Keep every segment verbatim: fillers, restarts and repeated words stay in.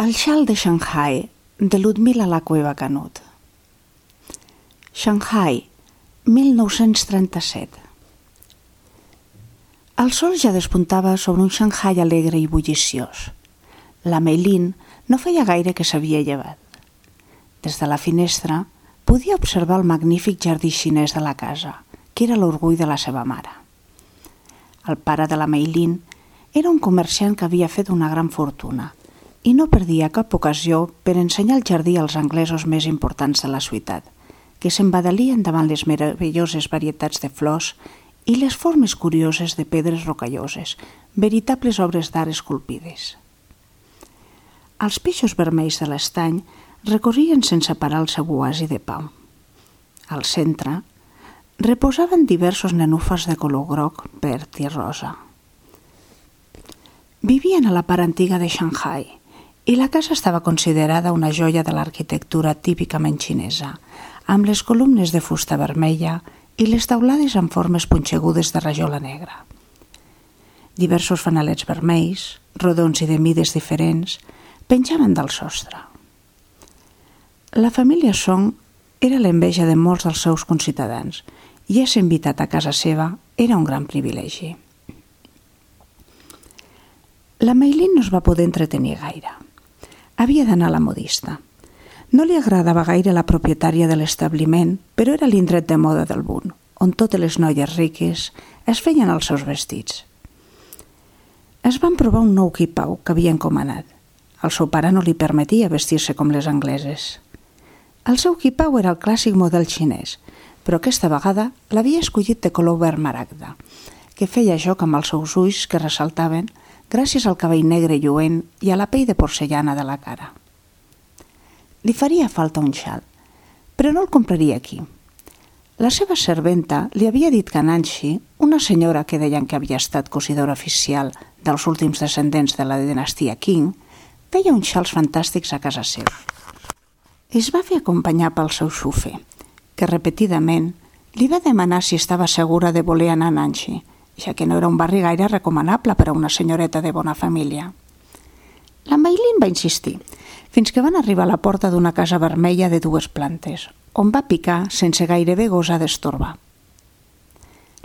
El xal de Shanghai, de Ludmila La Cueva Canut. Shanghai, mil nou-cents trenta-set. El sol ja despuntava sobre un Shanghai alegre i bulliciós. La Meilin no feia gaire que s'havia llevat. Des de la finestra podia observar el magnífic jardí xinès de la casa, que era l'orgull de la seva mare. El pare de la Meilin era un comerciant que havia fet una gran fortuna i no perdia cap ocasió per ensenyar el jardí als anglesos més importants de la ciutat, que s'embadalien davant les meravelloses varietats de flors i les formes curioses de pedres rocalloses, veritables obres d'art esculpides. Els peixos vermells de l'estany recorrien sense parar el seu oasi de pau. Al centre reposaven diversos nenúfars de color groc, verd i rosa. Vivien a la part antiga de Shanghai i la casa estava considerada una joia de l'arquitectura típicament xinesa, amb les columnes de fusta vermella i les taulades amb formes punxegudes de rajola negra. Diversos fanalets vermells, rodons i de mides diferents, penjaven del sostre. La família Song era l'enveja de molts dels seus conciutadans i ésser invitat a casa seva era un gran privilegi. La Meilin no es va poder entretenir gaire. Havia d'anar a la modista. No li agradava gaire la propietària de l'establiment, però era l'indret de moda del Bund, on totes les noies riques es feien els seus vestits. Es van provar un nou quipau que havia encomanat. El seu pare no li permetia vestir-se com les angleses. El seu quipau era el clàssic model xinès, però aquesta vegada l'havia escollit de color verd maragda, que feia joc amb els seus ulls que ressaltaven gràcies al cabell negre lluent i a la pell de porcellana de la cara. Li faria falta un xal, però no el compraria aquí. La seva serventa li havia dit que Nancy, una senyora que deien que havia estat cosidora oficial dels últims descendents de la dinastia Qing, feia uns xals fantàstics a casa seva. Es va fer acompanyar pel seu xufer, que repetidament li va demanar si estava segura de voler anar a Nancy, ja que no era un barri gaire recomanable per a una senyoreta de bona família. La Meilin va insistir, fins que van arribar a la porta d'una casa vermella de dues plantes, on va picar sense gairebé gosar d'estorbar.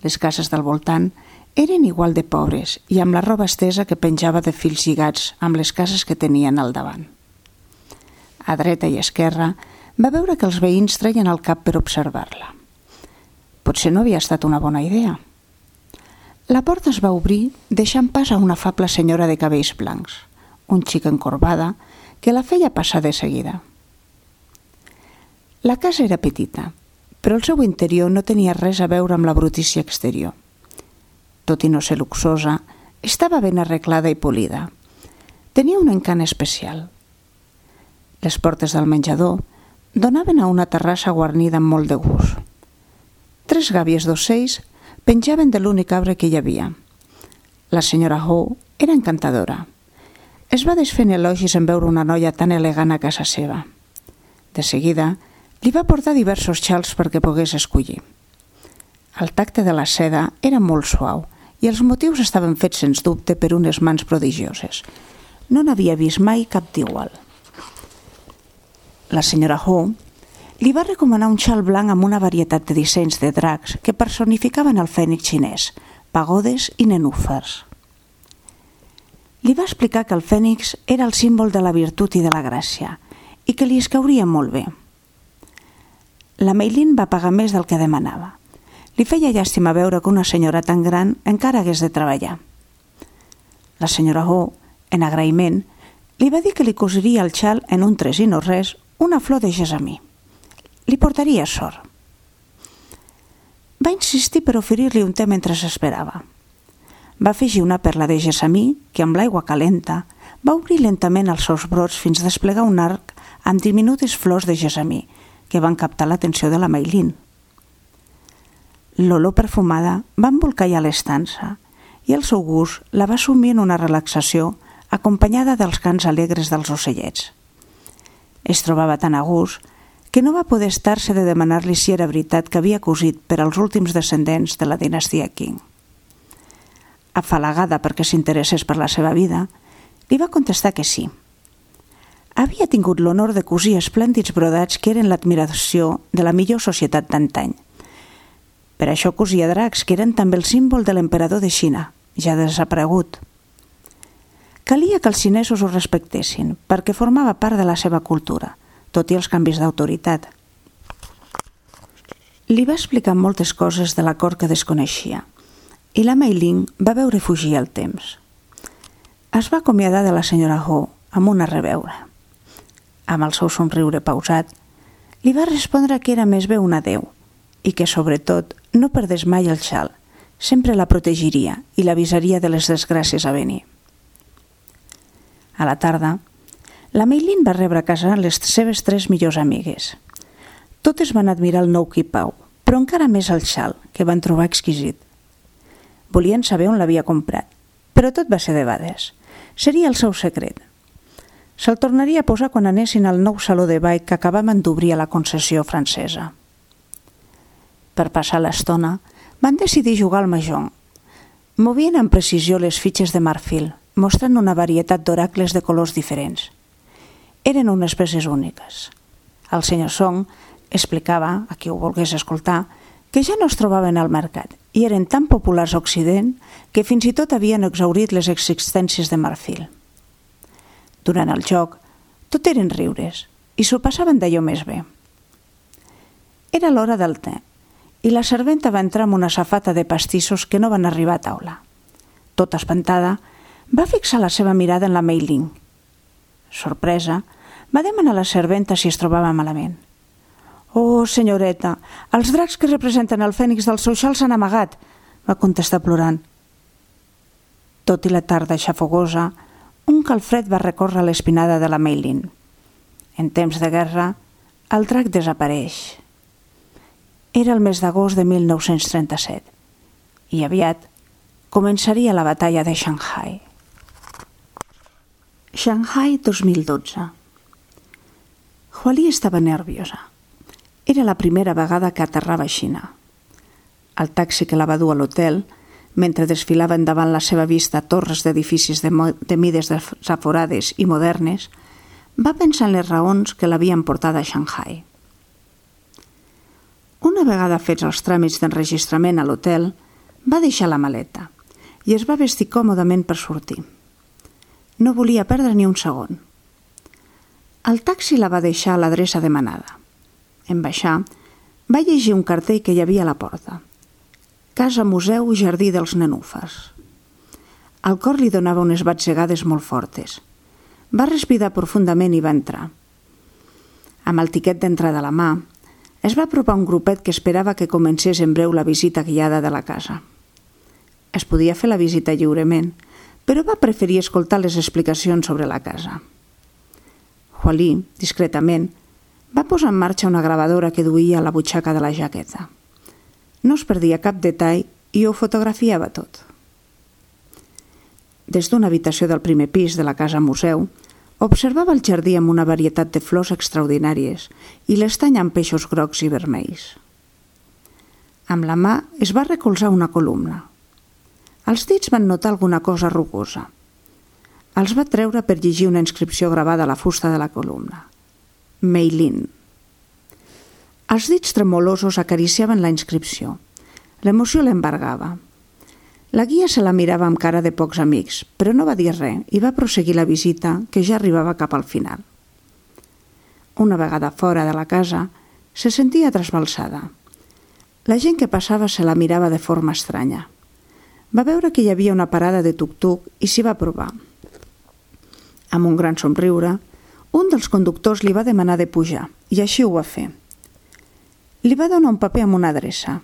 Les cases del voltant eren igual de pobres i amb la roba estesa que penjava de fils lligats amb les cases que tenien al davant. A dreta i esquerra va veure que els veïns treien el cap per observar-la. Potser no havia estat una bona idea. La porta es va obrir deixant pas a una afable senyora de cabells blancs, un xic encorbada que la feia passar de seguida. La casa era petita, però el seu interior no tenia res a veure amb la brutícia exterior. Tot i no ser luxosa, estava ben arreglada i polida. Tenia un encant especial. Les portes del menjador donaven a una terrassa guarnida amb molt de gust. Tres gàbies d'ocells penjaven de l'únic arbre que hi havia. La senyora Ho era encantadora. Es va desfent elogis en veure una noia tan elegant a casa seva. De seguida, li va portar diversos xals perquè pogués escollir. El tacte de la seda era molt suau i els motius estaven fets sens dubte per unes mans prodigioses. No n'havia vist mai cap d'igual. La senyora Ho li va recomanar un xal blanc amb una varietat de dissenys de dracs que personificaven el fènix xinès, pagodes i nenúfars. Li va explicar que el fènix era el símbol de la virtut i de la gràcia i que li escauria molt bé. La Meilin va pagar més del que demanava. Li feia llàstima veure que una senyora tan gran encara hagués de treballar. La senyora Ho, en agraïment, li va dir que li cosiria el xal en un tres i no res una flor de gessamí. Li portaria sort. Va insistir per oferir-li un te mentre s'esperava. Va afegir una perla de gessamí que, amb l'aigua calenta, va obrir lentament els seus brots fins a desplegar un arc amb diminutes flors de gessamí que van captar l'atenció de la Meilin. L'olor perfumada va embolcallar l'estança i el seu gust la va sumir en una relaxació acompanyada dels cants alegres dels ocellets. Es trobava tan a gust que no va poder estar-se de demanar-li si era veritat que havia cosit per als últims descendents de la dinastia Qing. Afalagada perquè s'interessés per la seva vida, li va contestar que sí. havia tingut l'honor de cosir esplèndids brodats que eren l'admiració de la millor societat d'antany. Per això cosia dracs, que eren també el símbol de l'emperador de Xina, ja desaparegut. Calia que els xinesos ho respectessin, perquè formava part de la seva cultura, tot i els canvis d'autoritat. Li va explicar moltes coses de la cort que desconeixia, i la Mei Ling va veure fugir el temps. Es va acomiadar de la senyora Ho amb una reveure. Amb el seu somriure pausat, li va respondre que era més bé un adeu i que, sobretot, no perdés mai el xal, sempre la protegiria i l'avisaria de les desgràcies a venir. A la tarda, la Mei Ling va rebre a casa les seves tres millors amigues. Totes van admirar el nou quipau, però encara més el xal, que van trobar exquisit. Volien saber on l'havia comprat, però tot va ser debades. Seria el seu secret. Se'l tornaria a posar quan anessin al nou saló de ball que acabaven d'obrir a la concessió francesa. Per passar l'estona, van decidir jugar al mahjong. Movien amb precisió les fitxes de marfil, mostrant una varietat d'oracles de colors diferents. Eren unes peces úniques. El senyor Song explicava, a qui ho volgués escoltar, que ja no es trobaven al mercat i eren tan populars a Occident que fins i tot havien exhaurit les existències de marfil. Durant el joc, tot eren riures i s'ho passaven d'allò més bé. Era l'hora del te i la serventa va entrar amb una safata de pastissos que no van arribar a taula. Tota espantada, va fixar la seva mirada en la Mei Ling. Sorpresa, va demanar a la serventa si es trobava malament. «Oh, senyoreta, els dracs que representen el fènix del seu xal s'han amagat», va contestar plorant. Tot i la tarda xafogosa, un calfred va recórrer l'espinada de la Mei Ling. En temps de guerra, el drac desapareix. Era el mes d'agost de mil nou-cents trenta-set i aviat començaria la batalla de Shanghai. Shanghai dos mil dotze. Huali estava nerviosa. Era la primera vegada que aterrava a Xina. El taxi que la va dur a l'hotel, mentre desfilava endavant la seva vista torres d'edificis de, de mides desaforades i modernes, va pensar en les raons que l'havien portada a Shanghai. Una vegada fets els tràmits d'enregistrament a l'hotel, va deixar la maleta i es va vestir còmodament per sortir. No volia perdre ni un segon. El taxi la va deixar a l'adreça demanada. En baixar, va llegir un cartell que hi havia a la porta. Casa Museu Jardí dels Nenúfars. El cor li donava unes batzegades molt fortes. Va respirar profundament i va entrar. Amb el tiquet d'entrada a la mà, es va apropar un grupet que esperava que comencés en breu la visita guiada de la casa. Es podia fer la visita lliurement, però va preferir escoltar les explicacions sobre la casa. Huali, discretament, va posar en marxa una gravadora que duia a la butxaca de la jaqueta. No es perdia cap detall i ho fotografiava tot. Des d'una habitació del primer pis de la casa museu, observava el jardí amb una varietat de flors extraordinàries i l'estany amb peixos grocs i vermells. Amb la mà es va recolzar una columna. Els dits van notar alguna cosa rugosa. Els va treure per llegir una inscripció gravada a la fusta de la columna. Mei Ling. Els dits tremolosos acariciaven la inscripció. L'emoció l'embargava. La guia se la mirava amb cara de pocs amics, però no va dir res i va proseguir la visita, que ja arribava cap al final. Una vegada fora de la casa, se sentia trasbalsada. La gent que passava se la mirava de forma estranya. Va veure que hi havia una parada de tuc-tuc i s'hi va provar. Amb un gran somriure, un dels conductors li va demanar de pujar i així ho va fer. Li va donar un paper amb una adreça.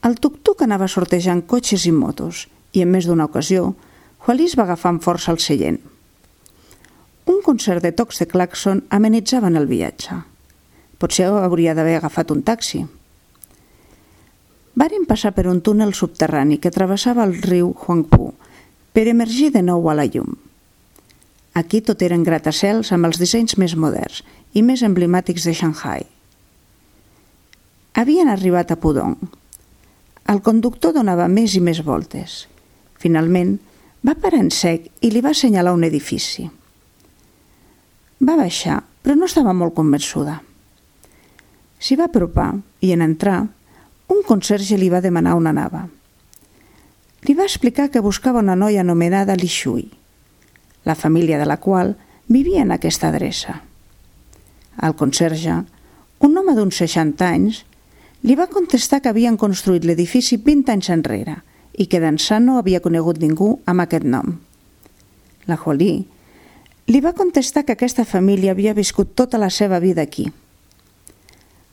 El tuc-tuc anava sortejant cotxes i motos i en més d'una ocasió, Huali es va agafar amb força al seient. Un concert de tocs de claxon amenitzaven el viatge. Potser hauria d'haver agafat un taxi. Varen passar per un túnel subterrani que travessava el riu Huangpu per emergir de nou a la llum. Aquí tot eren gratacels amb els dissenys més moderns i més emblemàtics de Shanghai. Havien arribat a Pudong. El conductor donava més i més voltes. Finalment, va parar en sec i li va assenyalar un edifici. Va baixar, però no estava molt convençuda. S'hi va apropar i, en entrar, un conserge li va demanar on anava. Li va explicar que buscava una noia anomenada Li Shui, la família de la qual vivia en aquesta adreça. El conserge, un home d'uns seixanta anys, li va contestar que havien construït l'edifici vint anys enrere i que d'ençà no havia conegut ningú amb aquest nom. La Jolie li va contestar que aquesta família havia viscut tota la seva vida aquí.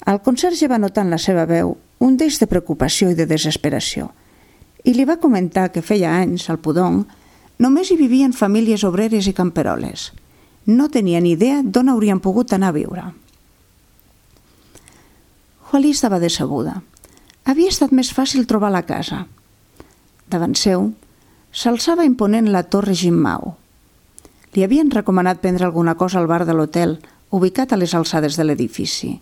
El conserge va notar en la seva veu un deix de preocupació i de desesperació i li va comentar que feia anys, al Pudong, només hi vivien famílies obreres i camperoles. No tenia ni idea d'on haurien pogut anar a viure. Jolie estava decebuda. Havia estat més fàcil trobar la casa. Davant seu, s'alçava imponent la torre Jinmao. Li havien recomanat prendre alguna cosa al bar de l'hotel, ubicat a les alçades de l'edifici,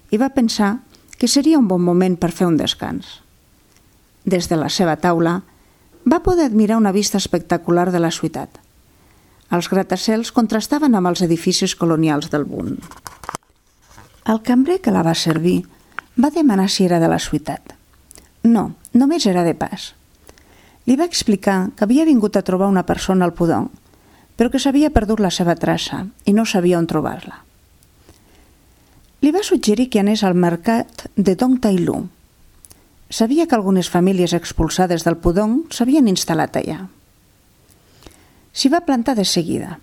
i va pensar que seria un bon moment per fer un descans. Des de la seva taula, va poder admirar una vista espectacular de la ciutat. Els gratacels contrastaven amb els edificis colonials del Bund. El cambrer que la va servir va demanar si era de la ciutat. No, només era de pas. Li va explicar que havia vingut a trobar una persona al Pudong, però que s'havia perdut la seva traça i no sabia on trobar-la. Li va suggerir que anés al mercat de Dong Tai Lu. Sabia que algunes famílies expulsades del Pudong s'havien instal·lat allà. S'hi va plantar de seguida.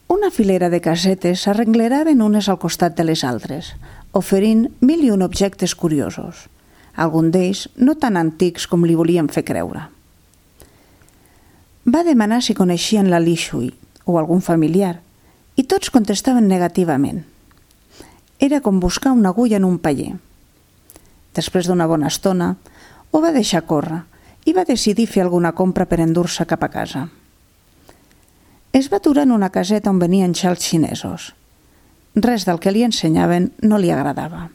Una filera de casetes s'arrengleraven unes al costat de les altres, oferint mil i un objectes curiosos, alguns d'ells no tan antics com li volien fer creure. Va demanar si coneixien la Li Shui o algun familiar, i tots contestaven negativament. Era com buscar una agulla en un paller. Després d'una bona estona, ho va deixar córrer i va decidir fer alguna compra per endur-se cap a casa. Es va aturar en una caseta on venien xals xinesos. Res del que li ensenyaven no li agradava.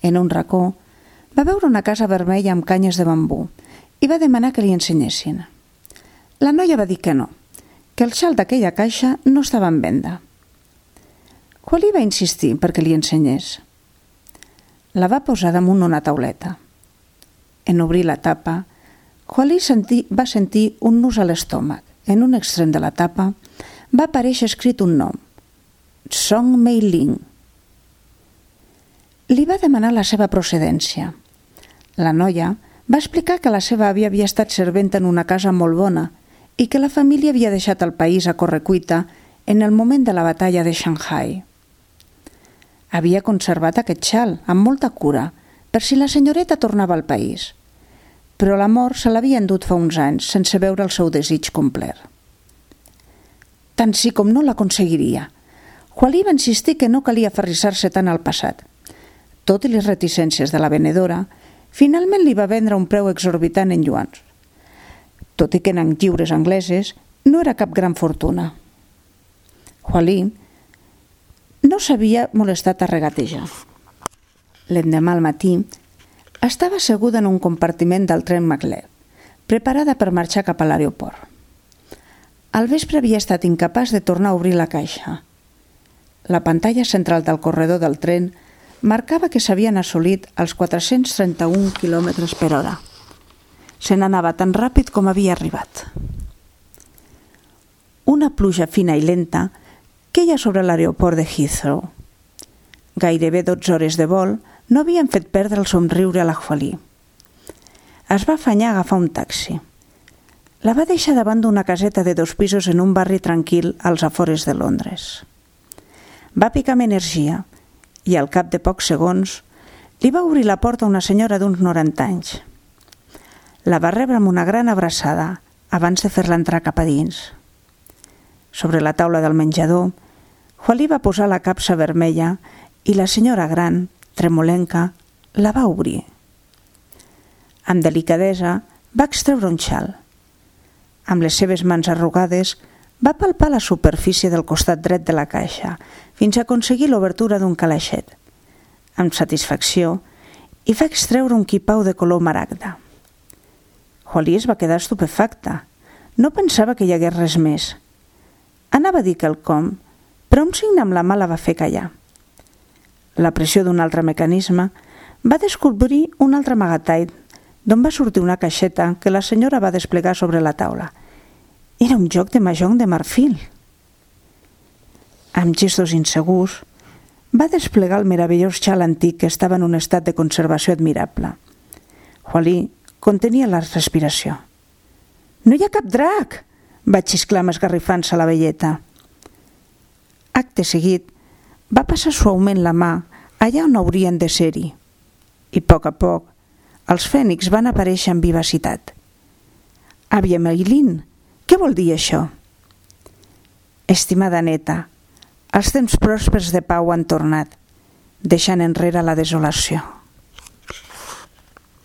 En un racó, va veure una casa vermella amb canyes de bambú i va demanar que li ensenyessin. La noia va dir que no, que el xal d'aquella caixa no estava en venda. Jolie va insistir perquè li ensenyés. La va posar damunt una tauleta. En obrir la tapa, Jolie senti, va sentir un nus a l'estómac. En un extrem de la tapa va aparèixer escrit un nom, Song Mei Ling. Li va demanar la seva procedència. La noia va explicar que la seva àvia havia estat serventa en una casa molt bona i que la família havia deixat el país a correcuita en el moment de la batalla de Shanghai. Havia conservat aquest xal amb molta cura per si la senyoreta tornava al país, però l'amor se l'havia endut fa uns anys sense veure el seu desig complet. Tant sí com no l'aconseguiria. Jolie va insistir que no calia aferrissar-se tant al passat. Tot i les reticències de la venedora, finalment li va vendre un preu exorbitant en yuans. Tot i que en lliures angleses no era cap gran fortuna. Jolie no s'havia molestat a regatejar. L'endemà al matí, estava asseguda en un compartiment del tren Maglev, preparada per marxar cap a l'aeroport. Al vespre havia estat incapaç de tornar a obrir la caixa. La pantalla central del corredor del tren marcava que s'havien assolit els quatre-cents trenta-un quilòmetres per hora. Se n'anava tan ràpid com havia arribat. Una pluja fina i lenta queia sobre l'aeroport de Heathrow. Gairebé dotze hores de vol no havien fet perdre el somriure a la Jolie. Es va afanyar a agafar un taxi. La va deixar davant d'una caseta de dos pisos en un barri tranquil als afores de Londres. Va picar amb energia i al cap de pocs segons li va obrir la porta una senyora d'uns noranta anys. La va rebre amb una gran abraçada abans de fer-la entrar cap a dins. Sobre la taula del menjador, Jolie va posar la capsa vermella i la senyora gran, tremolenca, la va obrir. Amb delicadesa va extreure un xal. Amb les seves mans arrugades va palpar la superfície del costat dret de la caixa fins a aconseguir l'obertura d'un calaixet. Amb satisfacció, hi va extreure un quipau de color maragda. Jolie es va quedar estupefacta. No pensava que hi hagués res més. Anava a dir quelcom, però un signe amb la mà la va fer callar. La pressió d'un altre mecanisme va descobrir un altre amagatall d'on va sortir una caixeta que la senyora va desplegar sobre la taula. Era un joc de mahjong de marfil. Amb gestos insegurs, va desplegar el meravellós xal antic que estava en un estat de conservació admirable. Hualí contenia la respiració. «No hi ha cap drac!» va xisclar esgarrifant-se la velleta. Acte seguit, va passar suaument la mà allà on haurien de ser-hi. I a poc a poc, els fènix van aparèixer amb vivacitat. «Àvia Meilín, què vol dir això?» «Estimada neta, els temps pròspers de pau han tornat, deixant enrere la desolació».